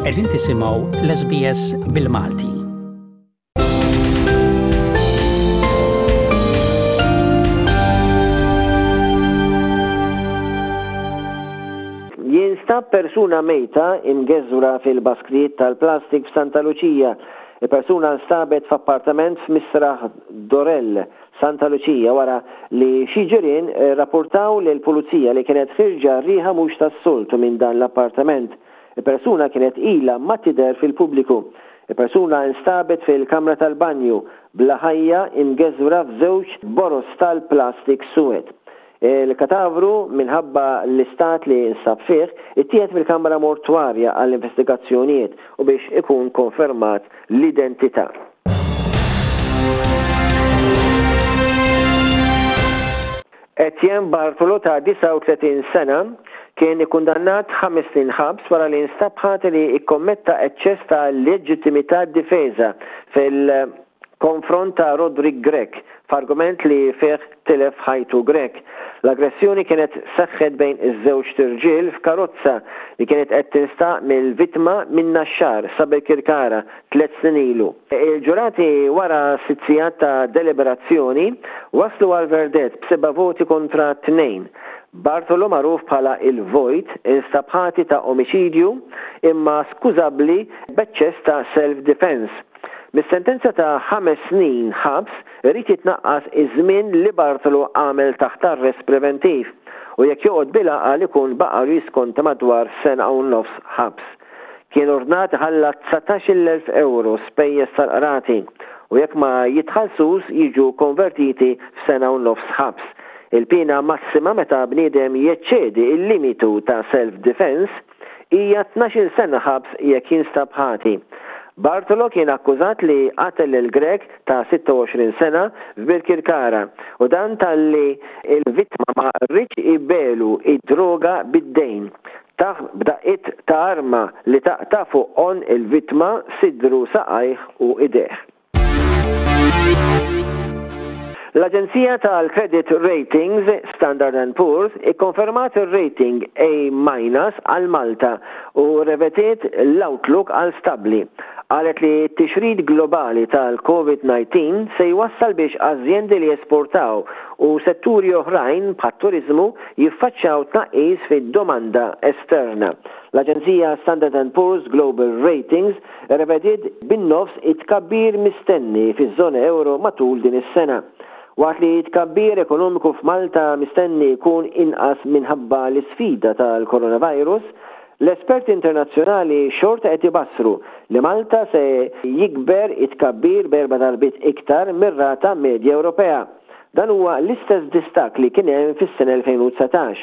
Qegħdin tisimgħu l-SBS bil-Malti. Jinstab persuna mejta imgeżwra fil-basktijiet tal-plastik f'Santa Luċija. Il-persuna nstabet f'appartament f'Misraħ Dorell, Santa Luċija wara li xi ġirien rrapurtaw lill-Pulizija li kienet ħierġa riħa mhux tas-soltu minn dan l-appartament. Il-persuna kienet ilha ma tidher fil-pubbliku. Il-persuna instabet fil-kamra tal-banju, bla ħajja, imgeżwra f'żewġ boroż tal-plastik suwed. Il-katavru, minħabba l-istat li nstab fih, ittieħed mill-kamra mortwarja għall-investigazzjonijiet u biex ikun konfermat l-identità. Etienne Bartolo ta' 39 sena kien ikkundannat ħames snin ħabs wara li nstab ħati li kkommetta eċċess ta' leġittimità difeża fil konfront ta' Roderick Grech f'argument li fih tilef ħajtu Grech. L-aggressjoni kienet seħħet bejn iż-żewġt irġiel f'karozza li kienet qed tinstaq mill-vittma min-Naxxar sa Birkirkara tliet snin ilu. Il-ġurati wara sitt sigħat ta' deliberazzjoni waslu għal verdett b'seba' voti kontra tnejn. Bartolo magħruf bħala il-Vojt instab ħati ta' omiċidju imma skużabbli b'eċċess ta' self-defence. Mis-sentenza ta' ħames snin ħabs irid jitnaqqas iż-żmien li Bartolo għamel taħt arrest preventiv u jekk joqgħod bil-għaqal ikun baqgħalu jiskonta madwar sena u nofs ħabs. Kien ordnat iħallas 19,000 ewro spejjeż tal-qrati u jekk ma jitħallsux jiġu konvertiti f'sena u nofs ħabs. Il-piena massima meta bniedem jeċċedi l-limitu ta' self-defence Hija 12-il sena ħabs jekk jinstab ħati. Bartolo kien akkużat li qatel lil Grech ta' 26 sena f'Birkirkara u dan talli l-vittma ma riedx ibegħlu d-droga bid-dejn. Tah b'daqqiet ta' arma li taqta' fuq għonq il-vittma, sidru, saqajh u idejh. L-aġenzija tal-credit ratings Standard and Poor's ikkonfermat ir-rating A minus għal Malta u rrevetiet l-outlook għal stabbli. Qalet li t-tixrid globali tal-Covid-19 se jwassal biex azjendi li jesportaw u setturi oħrajn bħat-turiżmu jiffaċċjaw tnaqqis fid-domanda esterna. L-aġenzija Standard and Poor's Global Ratings rrevediet bin-nofs it-tkabbir mistenni fiż-żona ewro matul din is-sena. Waqt li t-tkabbir ekonomiku f'Malta mistenni jkun inqas minħabba l-isfida tal-coronavirus, l-esperti internazzjonali xorta qed ibassru li Malta se jikber it-tkabbir b'erba' darbiet iktar mir-rata medja Ewropea. Dan huwa l-istess distakk li kien hemm fis-sena 2019.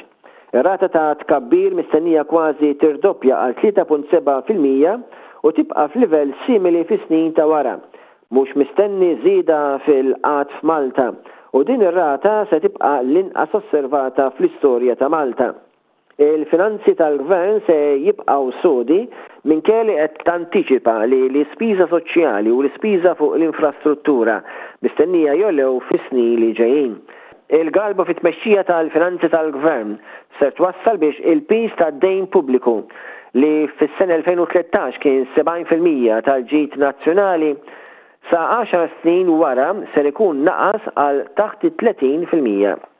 Ir-rata ta' tkabbir mistennija kważi tirdoppja għal 3.7% u tibqa' f'livell simili fis-snin ta' wara. Mhux mistenni żieda fil-qgħad f'Malta u din ir-rata se tibqa' l-inqas osservata fl-istorja ta' Malta. Il-finanzi tal-Gvern se jibqgħu sodi minkejja li qed tantiċipa li l-ispiża soċjali u l-ispiża fuq l-infrastruttura mistennija jogħlew fis-snin li ġejjin. Il-galbu fit-tmexxija tal-finanzi tal-Gvern ser twassal biex il-piż tad-dejn pubbliku, li fis-sena 2013 kien 70% tal-ġid nazzjonali, sa għaxar snin wara ser ikun naqas għal taħt it-30%.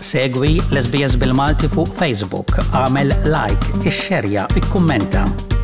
Segwi l-SBS bil-Malti fuq Facebook, agħmel like, ixxerja, ikkummenta.